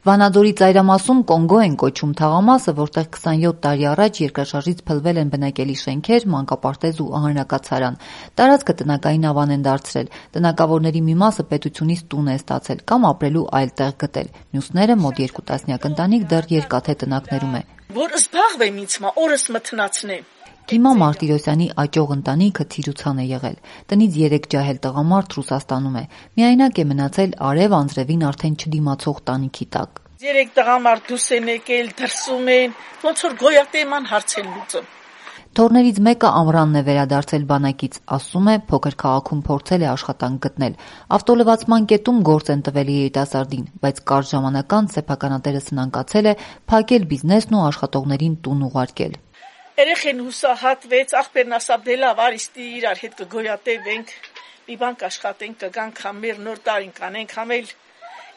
Վանաձորի ծայրամասում Կոնգո են կոչում թաղամասը, որտեղ 27 տարի առաջ երկրաշարժից փլվել են բնակելի շենքեր, մանկապարտեզ ու ահռնակացարան։ Տարածքը տնակային ավան են դարձրել։ Տնակավորների մի մասը պետությունից տուն է ստացել կամ ապրելու այլ տեղ գտել։ Մյուսները մոտ 2 տասնյակ ընտանիք դեռ երկաթե տնակներում է։ Որ զբաղվեմ ինձ օրս մթնացնեմ։ Դիմա Մարտիրոսյանի աճող ընտանիքը Թիրուցան է եղել։ Տնից 3 ջահել տղամարդ Ռուսաստանում է։ Միայնակ է մնացել Արև անձրևին արդեն չդիմացող տանիքի տակ։ 3 տղամարդ դուրս են եկել, դրսում են, ոնց որ գոյատեման հարց են լուծում։ Թորներից մեկը Ամրանն է վերադարձել բանակից, ասում է, փոքր քաղաքում փորձել է աշխատանք գտնել։ Ավտոլվացման կետում գործ են տվել երիտասարդին, բայց կարճ ժամանակ անց սեփականատերը սնանկացել է փակել բիզնեսն ու աշխատողներին տուն ուղարկել։ Երեխեն հուսահատվեց, աղբերն ասավ դե լավ, արիստի իրար հետ կգոյատևենք, մի բան կաշխատենք, կգանք համեր նոր տարին կանենք համել։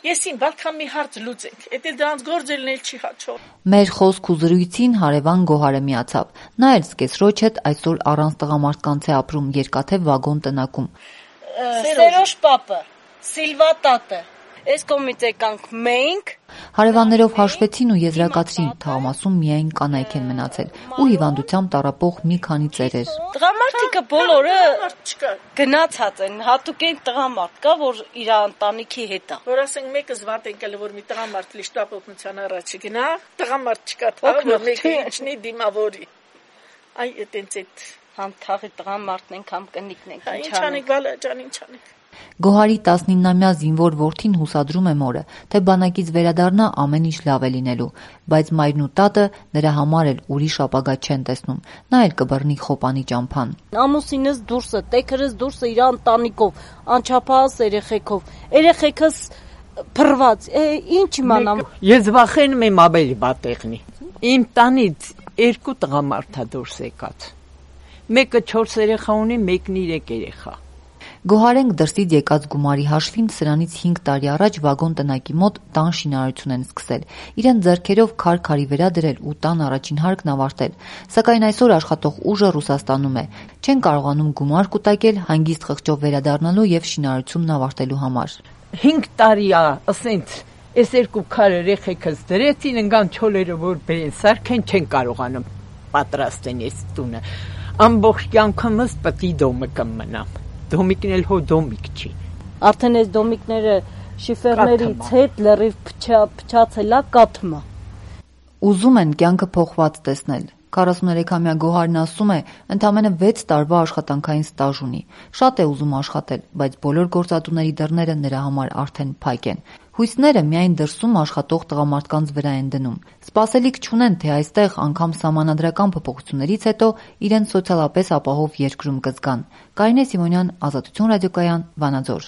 Եսին բալքան մի հարց լուծենք, էդ էլ դրանց գործելն էլ չի հաճող։ Մեր խոսք ու զրույցին հարևան Գոհարը միացավ։ Նա էլ սկեսրոջ հետ այսօր առանց տղամարդկանց է ապրում երկաթե վագոն տնակում։ Սերոշ պապը, Սիլվա տատը, այս կողմից եկանք մենք։ Հարևաններով հաշվեցին ու եզրակացրին, թաղամասում միայն կանայք են մնացել ու հիվանդությամբ տառապող մի քանի ծերեր։ Տղամարդիկը բոլորը գնացած են, հատուկ են տղամարդ կա, որ իր ընտանիքի հետ է։ Որ ասենք մեկը զվարթ են որ մի տղամարդ լիշտապօգնության առաջ գնա, տղամարդ չկա թող, որ մեկը ինչնի դիմավորի։ Այ այտենց այդ համ թաղի տղամարդն ենք, համ կնիկն ենք, ինչ անենք, բալա ջան, ինչ անենք։ Գոհարի 19-ամյա զինվոր որդին հուսադրում է մորը, թե բանակից վերադառնա ամեն ինչ լավ է լինելու, բայց մայրն ու տատը նրա համար էլ ուրիշ ապագա չեն տեսնում։ Նա էլ կբռնի խոպանի ճամփան։ Ամուսինս դուրսը, տեքրս դուրսը իր ընտանիքով, անչափահաս երեխեքով, երեխեքս փռված, ինչ իմանամ։ Ես վախենում եմ ավելի բատեղնի։ Իմ տանից 2 տղամարդ է դուրս եկած։ Մեկը 4 երեխա ունի, մեկն 3 երեխա։ Գոհարենք դրսից եկած գումարի հաշվին սրանից 5 տարի առաջ վագոն տնակի մոտ տան շինարարություն են սկսել։ Իրեն ձեռքերով քար-քարի վրա դրել ու տան առաջին հարկն ավարտել։ Սակայն այսօր աշխատող ուժը Ռուսաստանում է։ Չեն կարողանում գումար կուտակել հանգիստ խղճով վերադառնալու եւ շինարարությունն ավարտելու համար։ 5 տարի է, ասենց, այս 2 քար երեխեքս դրեցին, ընկան չոլերը որ բերեն, սարքեն չեն կարողանում պատրաստեն այս տունը։ Ամբողջ կյանքումս պետք է դոմը կմնամ։ Դոմիկն էլ հո դոմիկ չի։ Արդեն այս դոմիկները շիֆերներից հետ լրիվ փչացել է կաթմա։ Ուզում են կյանքը փոխված տեսնել։ 43-ամյա Գոհարն ասում է, ընդամենը 6 տարվա աշխատանքային ստաժ ունի։ Շատ է ուզում աշխատել, բայց բոլոր գործատուների դռները նրա համար արդեն փակ են։ Հույսները միայն դրսում աշխատող տղամարդկանց վրա են դնում։ Սպասելիք չունեն, թե այստեղ անգամ սահմանադրական փոփոխություններից հետո իրենց սոցիալապես ապահով երկրում կզգան։ Կարինե Սիմոնյան, Ազատություն ռադիոկայան, Վանաձոր։